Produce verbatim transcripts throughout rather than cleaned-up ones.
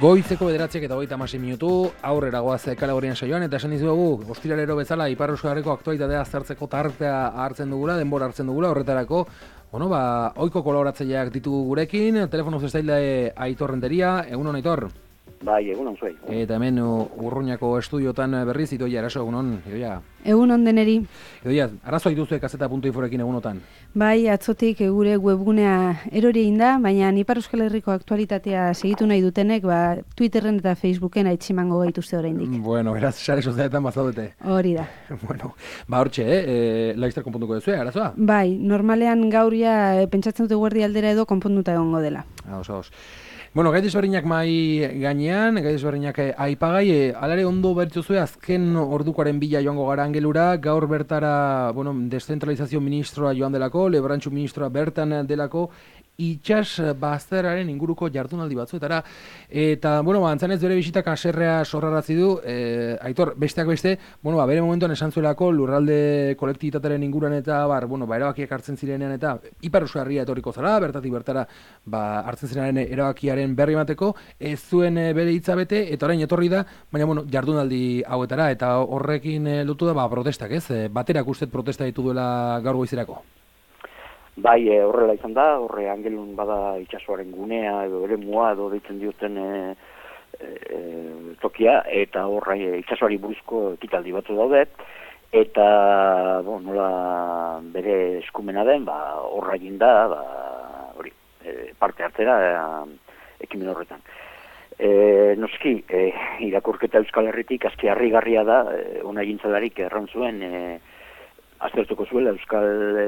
Goizeko bederatziak eta hogeita hamasei minutu, aurrera goaz kategorian saioan, eta esan dizuegu, ostiralero bezala, Ipar Euskal Herriko aktualitatea aztertzeko tartea hartzen dugula, denbora hartzen dugula, horretarako, bueno, ba, ohiko kolaboratzaileak ditugu gurekin, telefono zestaile Aitor Renteria, egunon Aitor? Bai, egunon zuei. Eta hemen Urruñako estudiotan berriz, Idoia, eraso, egunon, Idoia? Egunon deneri. Idoia, arazoa dituzue kaseta puntu inforekin egunotan? Bai, atzotik gure webgunea erori egin da, baina Ipar Euskal Herriko aktualitatea segitu nahi dutenek, ba, Twitterren eta Facebooken aitzimango gaituzte oraindik. Bueno, beraz, sare sozialetan bazaudete. Hori da. Bueno, ba, hortxe, eh? Laizter konpontuko duzue, arazoa? Bai, normalean gaur ja pentsatzen dute guardi aldera edo konponduta egongo dela. Ados, ados. Bueno, gai desberdinak mai gainean, gai desberdinak aipagai, e, alare ondo bertzuzue azken ordukoaren bila joango gara angelura, gaur bertara, bueno, descentralizazio ministroa joan delako, Lebrantxu ministroa bertan delako, itxas bazteraren inguruko jardunaldi batzuetara, eta, bueno, ba, antzanez bere bisitak aserrea sorraratzi du, e, Aitor, besteak beste, bueno, ba, bere momentuan esan zuelako lurralde kolektibitatearen inguruan eta, bar, bueno, ba, erabakiak hartzen zirenean eta Ipar Euskal Herria etorriko zara, bertatik bertara, ba, hartzen zirenaren erabakiaren berri emateko, ez zuen e, bere hitza bete, eta orain etorri da, baina, bueno, jardunaldi hauetara, eta horrekin e, lotu da, ba, protestak, ez? E, baterak ustet protesta ditu duela gaur goizerako. Bai, e, horrela izan da, horre angelun bada itsasoaren gunea edo ere mua edo deitzen dioten e, e, tokia, eta horre e, itsasoari buruzko ekitaldi batzu daude, eta bo, nola bere eskumena den, ba, horra egin da, ba, hori, e, parte hartzera e, ekimen horretan. E, noski, e, irakurketa Euskal Herritik azki harrigarria da, e, ona egintzalarik erran zuen, e, aztertuko zuela Euskal e,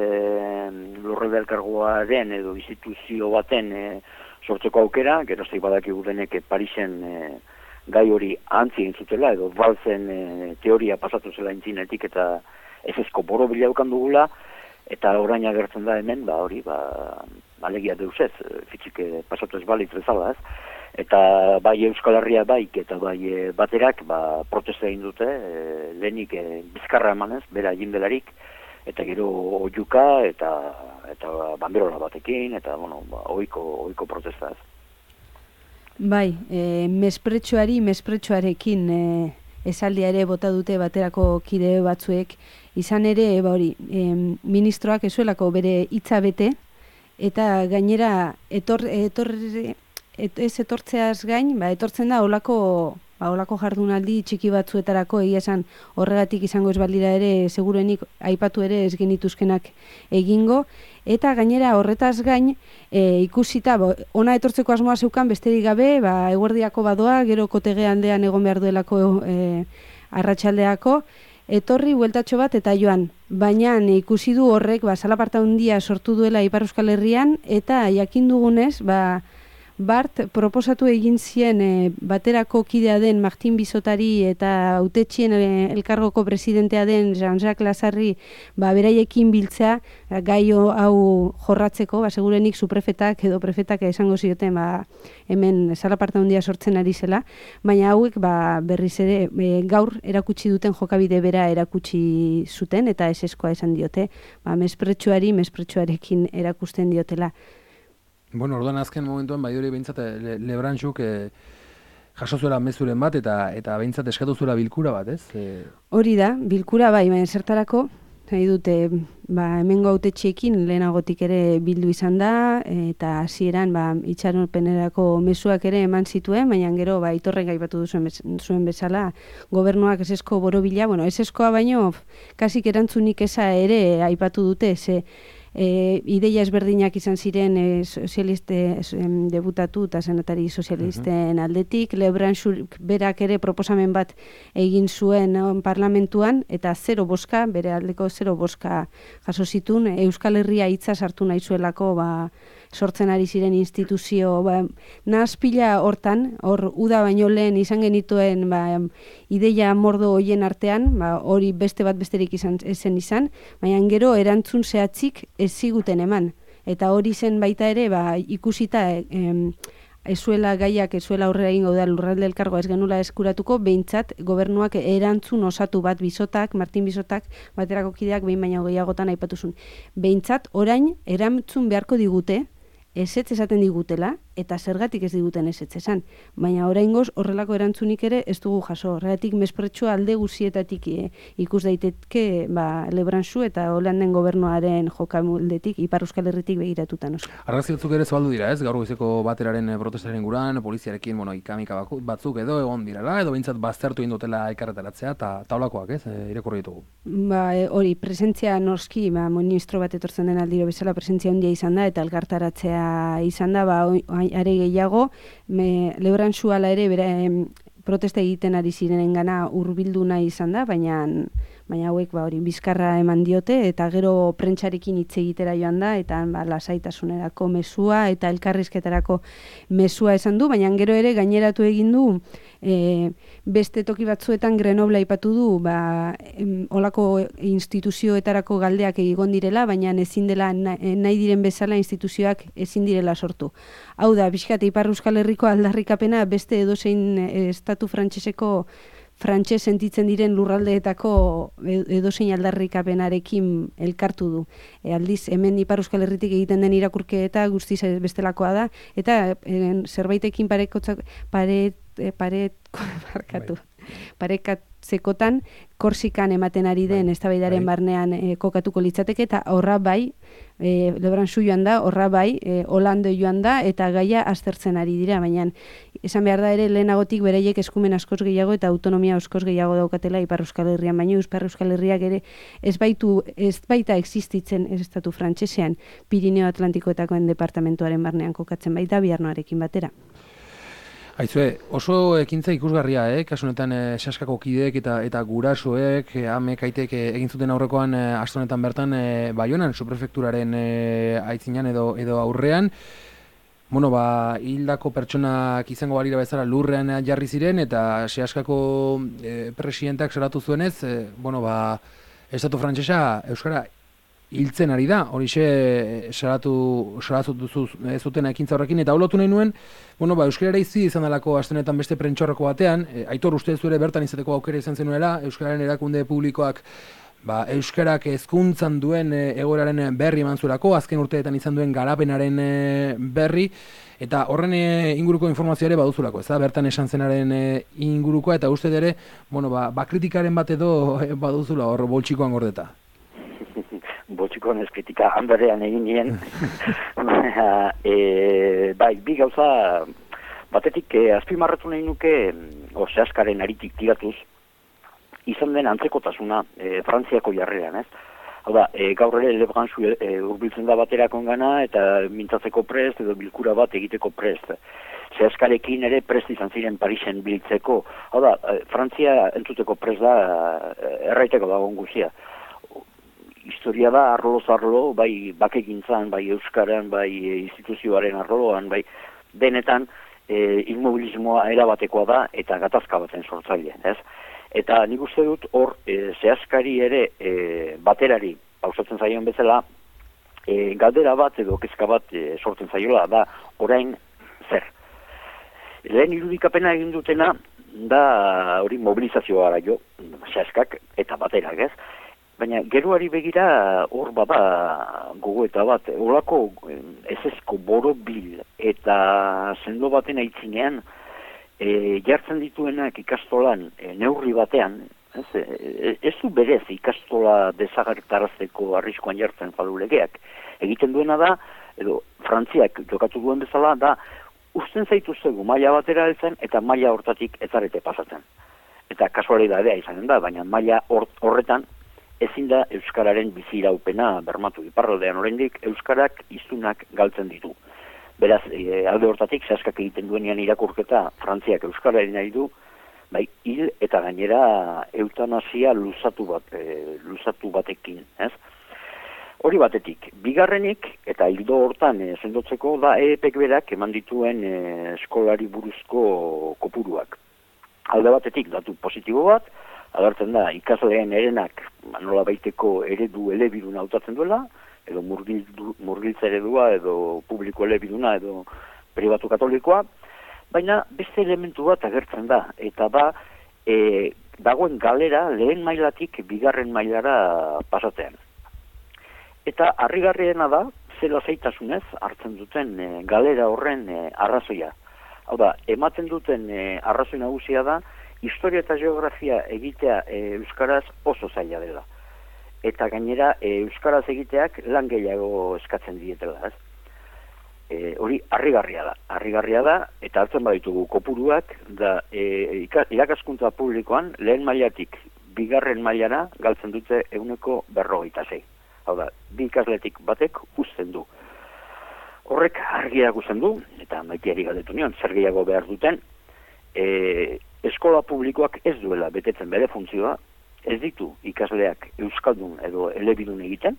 lurralde elkargoaren edo instituzio baten e, sortzeko aukera, geroztik badakigu denek Parisen e, gai hori antzi egin zutela, edo balzen e, teoria pasatu zela intzinetik eta ez ezko boro bilaukan dugula, eta orain agertzen da hemen, ba hori, ba, alegia deus ez, fitxik pasatu ez balitz bezala ez, eta bai Euskal Herria baik eta bai e, baterak ba, protesta egin dute, e, lehenik e, bizkarra emanez, bera egin delarik, eta gero oiuka eta eta banderola batekin, eta bueno, ba, oiko, oiko protesta ez. Bai, e, mespretxoari, mespretxoarekin e, esaldia ere bota dute baterako kide batzuek, izan ere, ba hori, e, ministroak ezuelako bere hitza bete, eta gainera etor, etor, et, ez etortzeaz gain, ba, etortzen da olako, ba, olako jardunaldi txiki batzuetarako, egia esan horregatik izango ez balira ere, seguruenik aipatu ere ez genituzkenak egingo, eta gainera horretaz gain, e, ikusita, bo, ona etortzeko asmoa zeukan besterik gabe, ba, eguerdiako badoa, gero kotege aldean egon behar duelako e, arratsaldeako, etorri bueltatxo bat eta joan, baina ikusi du horrek, ba, salaparta handia sortu duela Ipar Euskal Herrian, eta jakin dugunez, ba, Bart proposatu egin zien e, baterako kidea den Martin Bizotari eta hautetxien e, elkargoko presidentea den Jean-Jacques Lazarri ba, beraiekin biltzea gai hau jorratzeko, ba, segurenik su prefetak edo prefetak esango zioten ba, hemen salaparta handia sortzen ari zela, baina hauek ba, berriz ere e, gaur erakutsi duten jokabide bera erakutsi zuten eta eseskoa esan diote, ba, mespretxuari mespretxuarekin erakusten diotela. Bueno, orduan azken momentuan bai hori behintzat le, Lebrantxuk e, jaso zuela mezuren bat eta eta behintzat eskatu zuela bilkura bat, ez? E... Hori da, bilkura bai, baina zertarako, nahi dute, ba, hemengo hautetxeekin lehenagotik ere bildu izan da, eta hasieran ba, itxaropenerako mezuak ere eman zituen, baina gero ba, Aitorrek aipatu duzuen zuen bezala, gobernuak esesko borobila, bueno, eseskoa baino, kasik erantzunik eza ere aipatu dute, ze, E, ideia ezberdinak izan ziren e, sozialiste e, debutatu eta senatari sozialisten aldetik, Lebrantxuk berak ere proposamen bat egin zuen on, parlamentuan, eta zero boska, bere aldeko zero boska jaso zitun, Euskal Herria hitza sartu nahi zuelako ba, sortzen ari ziren instituzio, ba, nahazpila hortan, hor uda baino lehen izan genituen ba, ideia mordo hoien artean, ba, hori beste bat besterik izan zen izan, baina gero erantzun zehatzik ez ziguten eman. Eta hori zen baita ere, ba, ikusita em, ezuela gaiak, ezuela aurrera egingo da lurralde elkargoa ez genula eskuratuko, behintzat gobernuak erantzun osatu bat Bizotak, Martin Bizotak, baterako kideak behin baina gehiagotan aipatuzun. Behintzat orain erantzun beharko digute, ezetz esaten digutela, eta zergatik ez diguten ezetz esan. Baina oraingoz horrelako erantzunik ere ez dugu jaso. Horregatik mespretsua alde guzietatik e, ikus daiteke ba, Lebranchu eta Holanden gobernuaren jokamoldetik, Ipar Euskal Herritik begiratuta noski. Argazki batzuk ere zabaldu dira, ez? Gaur goizeko bateraren protestaren guran, poliziarekin, bueno, ikamika batzuk edo egon direla, edo behintzat baztertu indotela elkarretaratzea, eta taulakoak, ez? E, irakurri ditugu. Ba, e, hori, presentzia noski, ba, ministro bat etortzen den aldiro bezala presentzia handia izan da, eta elkartaratzea izan da, ba, are gehiago, me, Lebranchu ala ere, bere, em, protesta egiten ari zirenengana hurbildu nahi izan da, baina baina hauek ba hori bizkarra eman diote eta gero prentsarekin hitz egitera joan da eta ba lasaitasunerako mezua eta elkarrizketarako mezua esan du, baina gero ere gaineratu egin du e, beste toki batzuetan Grenoble aipatu du, ba em, olako instituzioetarako galdeak egon direla, baina ezin dela nahi diren bezala instituzioak ezin direla sortu. Hau da, bizkat Ipar Euskal Herriko aldarrikapena beste edozein estatu frantseseko frantses sentitzen diren lurraldeetako edozein aldarrikapenarekin elkartu du. E, aldiz, hemen Ipar Euskal Herritik egiten den irakurketa guztiz bestelakoa da, eta e, zerbaitekin parekotzak, paret, e, paret, barkatu, parekatzekotan Korsikan ematen ari den eztabaidaren barnean e, kokatuko litzateke, eta horra bai, e, Lebranchu joan da, horra bai, e, Hollande joan da, eta gaia aztertzen ari dira, baina esan behar da ere lehenagotik beraiek eskumen askoz gehiago eta autonomia askoz gehiago daukatela Ipar Euskal Herrian, baina Ipar Euskal Herriak ere ez baitu, ez baita existitzen ez estatu frantsesean Pirineo Atlantikoetakoen departamentuaren barnean kokatzen baita Biarnoarekin batera. Aizue, oso ekintza ikusgarria, eh? Kasu honetan eh, Saskako kideek eta eta gurasoek, eh, amek aitek eh, egin zuten aurrekoan eh, aste honetan bertan eh, Baionan subprefekturaren eh, aitzinan edo edo aurrean. Bueno, ba, hildako pertsonak izango balira bezala lurrean jarri ziren eta Saskako eh, presidenteak salatu zuenez, eh, bueno, ba, estatu frantsesa euskara hiltzen ari da, horixe salatu salatu duzu zuten ekintza horrekin, eta holotu nahi nuen, bueno, ba, euskarara izi izan dalako astenetan beste prentxorreko batean, e, Aitor uste zuere bertan izateko aukera izan zenuela, euskararen erakunde publikoak ba, euskarak hezkuntzan duen e, egoeraren berri eman zuelako, azken urteetan izan duen garapenaren e, berri, eta horren e, inguruko informazioa ere baduzulako, ez da, bertan esan zenaren e, ingurukoa, eta uste ere, bueno, ba, ba kritikaren bat edo e, baduzula hor boltsikoan gordeta. Boltsikoan ez kritika handarean egin nien. e, bai, bi gauza batetik e, azpimarratu nahi nuke o Saskaren aritik tiratuz izan den antzekotasuna e, Frantziako jarreran, ez? Hau da, e, gaur ere Lebranchu e, urbiltzen da baterakon gana eta mintzatzeko prest edo bilkura bat egiteko prest. Saskarekin ere prest izan ziren Parisen biltzeko. Hau da, e, Frantzia entzuteko prest da e, erraiteko dagoen guzia. Historia da arloz arlo, bai bakegintzan, bai euskaran, bai instituzioaren arloan, bai denetan e, immobilismoa erabatekoa da eta gatazka baten sortzaile, ez? Eta nik uste dut hor e, Saskari ere e, baterari pausatzen zaion bezala e, galdera bat edo kezka bat e, sortzen zaiola da orain zer. Lehen irudikapena egin dutena da hori mobilizazioa gara jo, Saskak eta baterak, ez? Baina geroari begira hor bada gogoeta bat, horako ezezko borobil eta sendo baten aitzinean e, jartzen dituenak ikastolan e, neurri batean, ez, e, ez du berez ikastola desagertarazteko arriskuan jartzen fadulegeak. Egiten duena da, edo Frantziak jokatu duen bezala, da uzten zaituztegu maila batera heltzen eta maila hortatik ezarete pasatzen. Eta kasualidadea izanen da, baina maila horretan ezin da euskararen biziraupena bermatu. Iparraldean oraindik euskarak hiztunak galtzen ditu. Beraz, e, alde hortatik Saskak egiten duenean irakurketa Frantziak euskararen nahi du, bai hil eta gainera eutanasia luzatu bat, e, luzatu batekin, ez? Hori batetik, bigarrenik eta hildo hortan e, sendotzeko da E E Pek berak eman dituen e, eskolari buruzko kopuruak. Alde batetik datu positibo bat, agertzen da, ikasleen erenak nola baiteko eredu elebiduna hautatzen duela, edo murgiltza eredua, edo publiko elebiduna, edo pribatu katolikoa, baina beste elementu bat agertzen da, eta ba, e, dagoen galera lehen mailatik bigarren mailara pasatean. Eta harrigarriena da, zela zaitasunez hartzen duten e, galera horren e, arrazoia. Hau da, ematen duten e, arrazoi nagusia da, historia eta geografia egitea e, euskaraz oso zaila dela. Eta gainera, e, euskaraz egiteak lan gehiago eskatzen dietela, ez? E, hori, harrigarria da. Harrigarria da, eta hartzen baditugu kopuruak, da, e, irakaskuntza publikoan, lehen mailatik, bigarren mailara, galtzen dute eguneko berrogeita sei. Hau da, bi ikasletik batek uzten du. Horrek argiak uzten du, eta Maiteari galdetu nion, zer gehiago behar duten, e, eskola publikoak ez duela betetzen bere funtzioa, ez ditu ikasleak euskaldun edo elebidun egiten,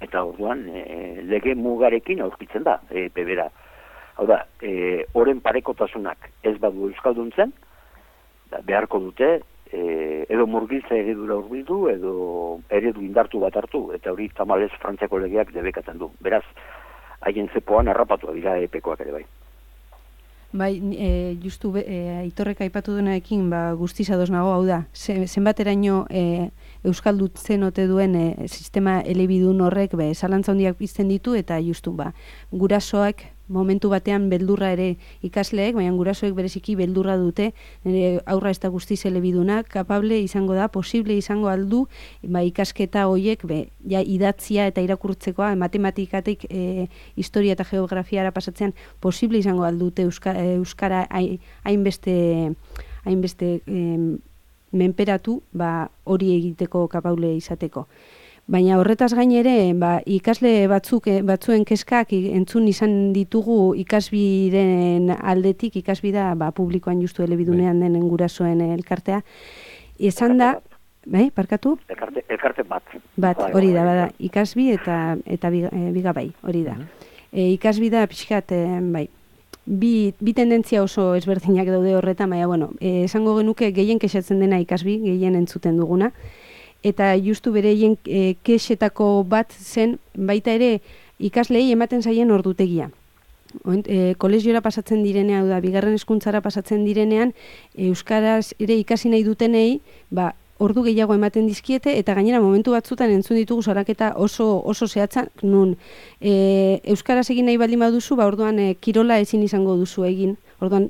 eta orduan e, lege mugarekin aurkitzen da, e, pebera. Hau da, e, oren parekotasunak ez badu euskalduntzen, da, beharko dute, e, edo murgiltza eredura urbildu, edo eredu indartu bat hartu, eta hori tamalez Frantziako legeak debekatzen du. Beraz, haien zepoan harrapatu dira epekoak ere bai. Bai, e, justu e, Aitorrek aipatu duenarekin ba, guztiz ados nago, hau da, zenbateraino e, euskaldutzen ote duen e, sistema elebidun horrek be, zalantza handiak pizten ditu, eta justu ba, gurasoak momentu batean beldurra ere ikasleek, baina gurasoek bereziki beldurra dute, nire aurra ez da guztiz elebiduna, kapable izango da, posible izango aldu, ba, ikasketa hoiek, be, ja, idatzia eta irakurtzekoa, matematikatik e, historia eta geografiara pasatzean, posible izango aldute euskara, euskara hainbeste hainbeste e, menperatu, ba, hori egiteko kapable izateko. Baina horretaz gain ere, ba, ikasle batzuk batzuen kezkak entzun izan ditugu ikasbiren aldetik, ikasbida ba, publikoan justu elebidunean denen gurasoen elkartea. Esan da, bai, parkatu? Elkarte, elkarte bat. Bat, hori da, bada, ikasbi eta eta biga, e, biga bai, hori da. E, ikasbida pixkat, e, bai, bi, bi tendentzia oso ezberdinak daude horretan, baina, bueno, e, esango genuke gehien kexatzen dena ikasbi, gehien entzuten duguna, eta justu bereien e, kexetako bat zen baita ere ikaslei ematen zaien ordutegia. E, kolegiora pasatzen direnean, hau da, bigarren hezkuntzara pasatzen direnean, euskaraz ere ikasi nahi dutenei, ba, ordu gehiago ematen dizkiete, eta gainera momentu batzutan entzun ditugu salaketa oso oso zehatza, nun e, euskaraz egin nahi baldin baduzu, ba, orduan e, kirola ezin izango duzu egin. Orduan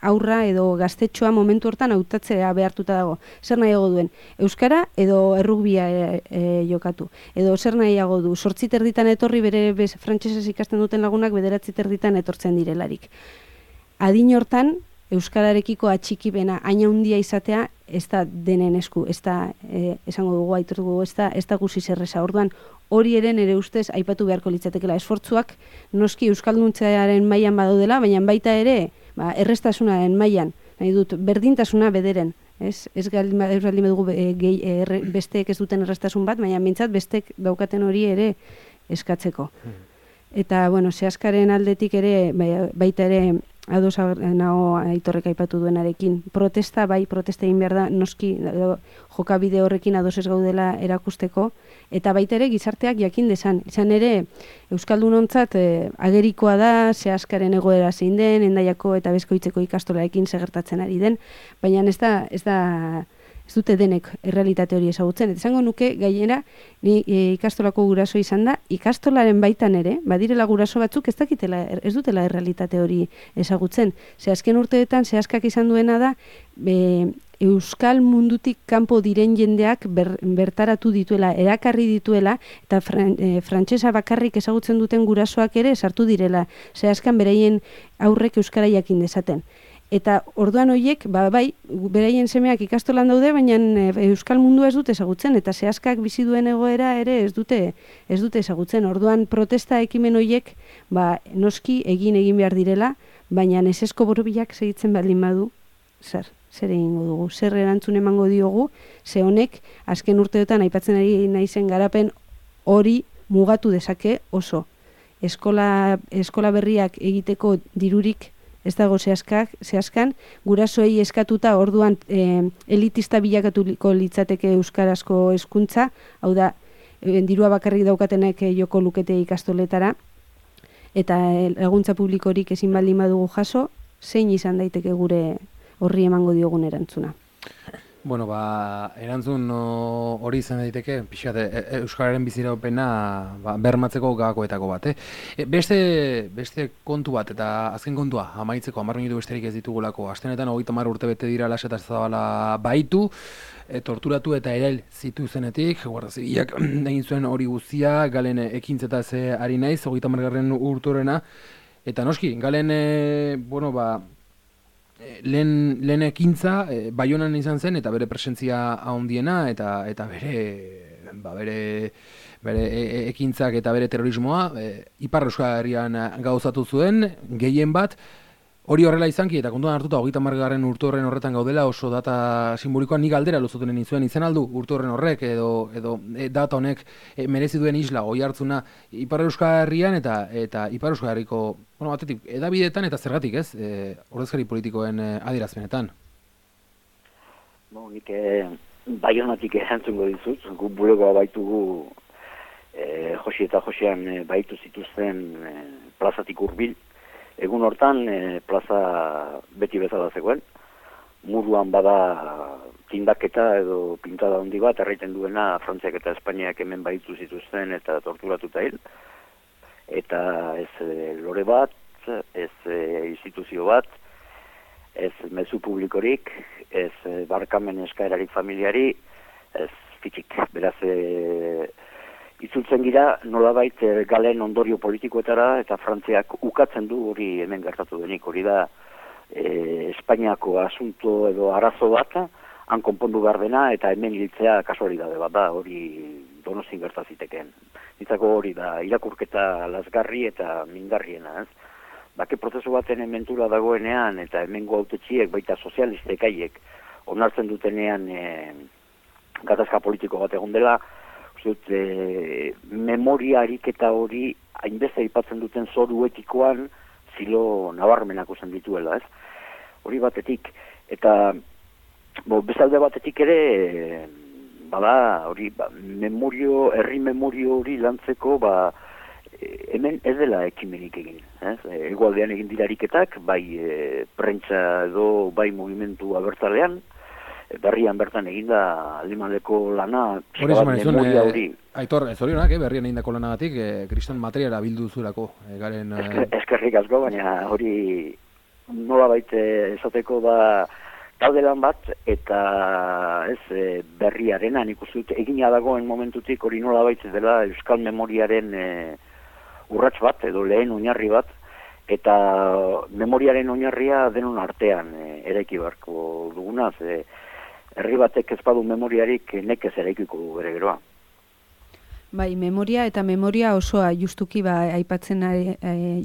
aurra edo gaztetxoa momentu hortan hautatzea behartuta dago. Zer nahiago duen? Euskara edo errugbia e, e, jokatu. Edo zer nahiago du? Zortzi terditan etorri bere bez, frantsesez ikasten duten lagunak bederatzi terditan etortzen direlarik. Adin hortan, euskararekiko atxikipena haina handia izatea ez da denen esku, ez da, e, esango dugu, aitor dugu, ez da, ez da guzi zerreza. Orduan, hori ere nire ustez aipatu beharko litzatekela esfortzuak, noski euskalduntzearen mailan badaudela, baina baita ere, ba, errestasunaren mailan, nahi dut, berdintasuna bederen, ez? Ez galdi dugu e, e, besteek ez duten errestasun bat, baina mintzat besteek daukaten hori ere eskatzeko. Eta, bueno, zehazkaren aldetik ere, baita ere, ados nago Aitorrek aipatu duenarekin. Protesta, bai, protesta egin behar da, noski jokabide horrekin ados ez gaudela erakusteko, eta baita ere gizarteak jakin dezan. Izan ere, euskaldunontzat e, agerikoa da, zehazkaren egoera zein den, Hendaiako eta Bezkoitzeko ikastolarekin segertatzen ari den, baina ez da, ez da, ez dute denek errealitate hori ezagutzen. Eta esango nuke, gainera, ni e, ikastolako guraso izan da, ikastolaren baitan ere, badirela guraso batzuk ez dakitela, ez dutela errealitate hori ezagutzen. Ze azken urteetan, zehazkak izan duena da, be, euskal mundutik kanpo diren jendeak ber, bertaratu dituela, erakarri dituela, eta fran, e, frantsesa bakarrik ezagutzen duten gurasoak ere sartu direla, zehazkan beraien aurrek euskara jakin dezaten. Eta orduan horiek, ba, bai, beraien semeak ikastolan daude, baina euskal mundua ez dute ezagutzen, eta zehazkak bizi duen egoera ere ez dute ez dute ezagutzen. Orduan protesta ekimen horiek, ba, noski egin egin behar direla, baina esesko borobilak segitzen baldin badu, zer, zer egingo dugu, zer erantzun emango diogu, ze honek, azken urteotan aipatzen ari naizen garapen hori mugatu dezake oso. Eskola, eskola berriak egiteko dirurik ez dago zehazkak, zehazkan, gurasoei eskatuta orduan e, elitista bilakatuko litzateke euskarazko hezkuntza, hau da, e, dirua bakarrik daukatenek e, joko lukete ikastoletara, eta e, laguntza publikorik ezin baldin badugu jaso, zein izan daiteke gure horri emango diogun erantzuna. Bueno, ba, erantzun no, hori izan daiteke, pixkat, e, e, Euskararen biziraupena ba, bermatzeko gakoetako bat, eh? E, beste, beste kontu bat, eta azken kontua, amaitzeko, hamar minutu besterik ez ditugulako, astenetan hogeita hamar urte bete dira Laseta Zabala baitu, e, torturatu eta erail zituzenetik, Guardia Zibilak egin zuen hori guztia, Galen ekintzetaz ari naiz, hogeita hamargarren urtorena, eta noski, Galen, e, bueno, ba, lehen, lehen ekintza e, Baionan izan zen eta bere presentzia handiena eta eta bere ba, bere bere e, e, ekintzak eta bere terrorismoa e, Ipar Euskal Herrian gauzatu zuen gehien bat. Hori horrela izanki eta kontuan hartuta hogeita hamargarren urte horren horretan gaudela oso data simbolikoa, ni galdera luzotenen izuen izen aldu urte horren horrek edo edo e, data honek e, merezi duen isla oi hartzuna Ipar Euskal Herrian eta eta Ipar Euskal Herriko, bueno, batetik edabideetan eta zergatik, ez? E, ordezkari politikoen e, adierazpenetan. Bo, nik e, Baionatik erantzungo dizut, gu bulegoa baitugu e, Josi eta Josian e, baitu zituzten e, plazatik hurbil. Egun hortan e, plaza beti bezala zegoen, muruan bada tindaketa edo pintada handi bat, erraiten duena Frantziak eta Espainiak hemen baitu zituzten eta torturatuta hil. Eta ez e, lore bat, ez e, instituzio bat, ez mezu publikorik, ez e, barkamen eskaerarik familiari, ez fitxik. Beraz, e, itzultzen gira nolabait e, Galen ondorio politikoetara eta Frantziak ukatzen du hori hemen gertatu denik. Hori da e, Espainiako asunto edo arazo bat, han konpondu behar dena eta hemen hiltzea kasualidade bat da, hori Donostian gerta zitekeen. Nitzako hori da irakurketa lazgarri eta mingarriena, ez? Bake prozesu baten mentura dagoenean eta hemengo hautetxiek baita sozialistek haiek onartzen dutenean e, gatazka politiko bat egon dela, Zut, e, memoria ariketa hori hainbeste aipatzen duten zoru etikoan zilo nabarmenak uzen dituela, ez? Hori batetik. Eta bo, bezalde batetik ere, e, bada, hori, ba, memorio, herri memorio hori lantzeko, ba, e, hemen ez dela ekimenik egin. Ez? E, egualdean egin dira ariketak, bai e, prentsa edo bai mugimendu abertzalean, berrian bertan eginda Alimanleko lana, memoria hori. Eh, Aitor, ez hori honak, eh, berrian egindako lanagatik, eh, kriston materiala bildu zurako. Eh, garen, eh... Eskerrik asko, baina hori nola baita esateko da talde lan bat, eta ez e, berriarena, nik uste dut egina dagoen momentutik hori nola baita dela Euskal Memoriaren e, urrats bat, edo lehen oinarri bat, eta memoriaren oinarria denon artean e, eraiki barko dugunaz, e, herri batek ez badu memoriarik nekez eraikiko bere geroa. Bai, memoria eta memoria osoa justuki ba aipatzen e,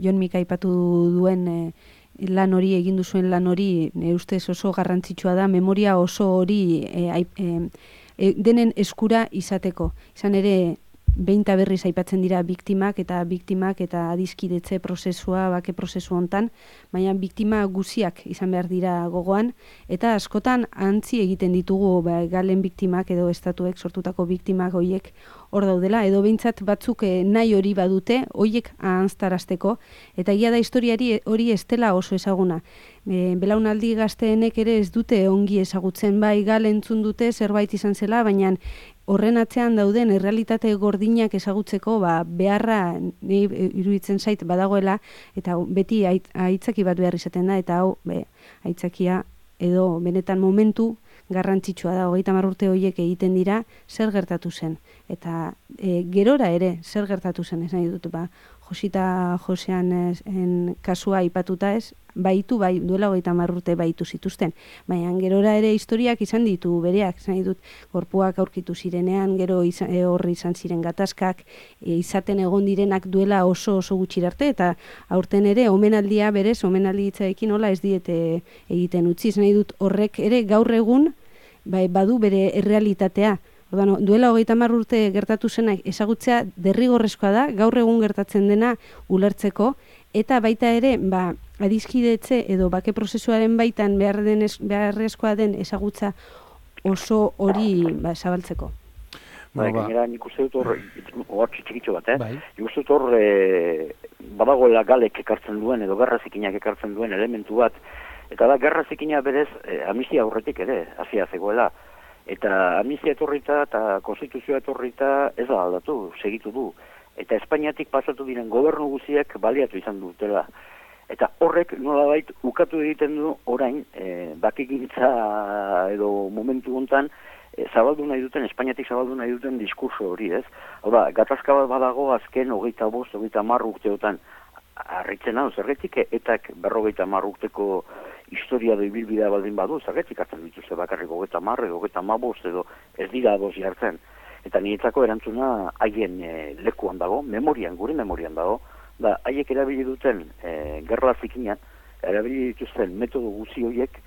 Jon Mika aipatu duen e, lan hori egin duzuen lan hori nire ustez oso garrantzitsua da memoria oso hori e, e, e, denen eskura izateko. Izan ere behin eta berriz aipatzen dira biktimak eta biktimak eta adiskidetze prozesua, bake prozesu hontan, baina biktima guziak izan behar dira gogoan, eta askotan antzi egiten ditugu ba, Galen biktimak edo estatuek sortutako biktimak hoiek hor daudela, edo behintzat batzuk nahi hori badute, hoiek ahanztarazteko, eta egia da historiari hori ez dela oso ezaguna. E, belaunaldi gazteenek ere ez dute ongi ezagutzen, bai Galen entzun dute zerbait izan zela, baina horren atzean dauden errealitate gordinak ezagutzeko ba, beharra ni iruditzen zait badagoela eta beti aitzaki bat behar izaten da eta hau be, aitzakia edo benetan momentu garrantzitsua da, hogeita hamar urte horiek egiten dira zer gertatu zen eta e, gerora ere zer gertatu zen esan ditut ba, Josita Josean en kasua aipatuta ez, baitu bai duela hogeita hamar urte baitu zituzten, baina gerora ere historiak izan ditu bereak, izan ditut gorpuak aurkitu zirenean, gero izan, e, horri izan ziren gatazkak, e, izaten egon direnak duela oso oso gutxirarte eta aurten ere omenaldia berez, omenaldi hitzaekin hola ez diete egiten utzi, izan ditut horrek ere gaur egun bai, badu bere errealitatea. Ordan, duela hogeita hamar urte gertatu zenak ezagutzea derrigorrezkoa da, gaur egun gertatzen dena ulertzeko, eta baita ere, ba, adiskidetze edo bake prozesuaren baitan behar den, beharrezkoa den ezagutza oso hori ba, zabaltzeko. Bai, gainera nik uste dut hor, hor txikitxo bat, eh? Bai. Nik uste dut hor, e, badagoela Galek ekartzen duen, edo Gerra Zikinak ekartzen duen elementu bat, Eta da, gerra zikina berez, e, amnistia aurretik ere, hasia zegoela. Eta amnistia etorrita eta konstituzioa etorrita ez da aldatu, segitu du. Eta Espainiatik pasatu diren gobernu guziek baliatu izan dutela. Eta horrek nolabait ukatu egiten du orain, e, bakegintza edo momentu hontan, e, zabaldu nahi duten, Espainiatik zabaldu nahi duten diskurso hori, ez? Hau da, gatazka bat badago azken hogeita bost, hogeita hamar urteotan, harritzen hau, zergetik etak berrogeita hamar urteko historia da ibilbidea baldin badu, zergetik hartzen dituzte bakarrik hogeita hamar edo hogeita hamabost edo ez dira ados jartzen. Eta niretzako erantzuna haien e, lekuan dago, memorian, gure memorian dago, da haiek erabili duten e, gerla zikina, erabili dituzten metodo guzi horiek,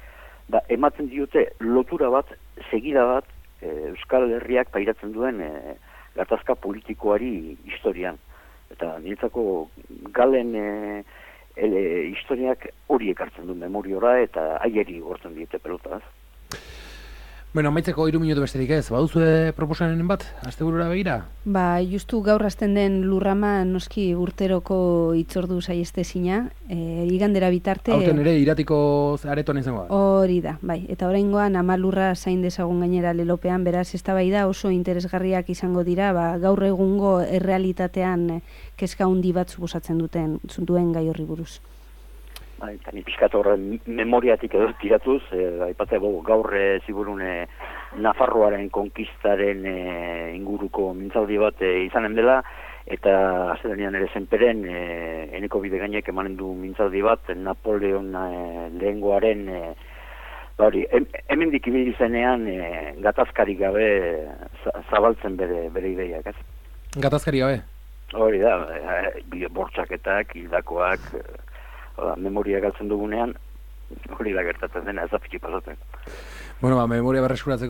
da ematen diote lotura bat, segida bat, e, Euskal Herriak pairatzen duen e, gatazka politikoari historian. Eta niretzako galen e, ele, historiak hori ekartzen du memoriora eta haieri gortzen diete pelotaz. Bueno, amaitzeko hiru minutu besterik ez, baduzue proposamen bat, asteburura begira? Ba, justu gaur hasten den lurrama noski urteroko itzordu saiestezina, e, igandera bitarte... Aurten ere iratiko aretoan izango da. Hori da, bai. Eta oraingoan ama lurra zain dezagun gainera lelopean, beraz, eztabaida oso interesgarriak izango dira, ba, gaur egungo errealitatean kezka handi bat suposatzen duten duen gai horri buruz. Bai, eta ni pixkat horren memoriatik edo tiratuz, eh, aipate gaur e, ziburune Nafarroaren konkistaren e, inguruko mintzaldi bat e, izanen dela, eta aztenean ere zenperen e, eneko bide gainek emanen du mintzaldi bat, Napoleon e, lehengoaren, e, hori, em, hemen dikibili zenean e, gatazkarik gabe zabaltzen bere, bere ideiak, ez? Gatazkarik gabe? Hori da, e, bortxaketak, hildakoak... Oda, memoria galtzen dugunean, hori da gertatzen dena, ez da fitxi pasatzen. Bueno, ba, memoria berreskuratzeko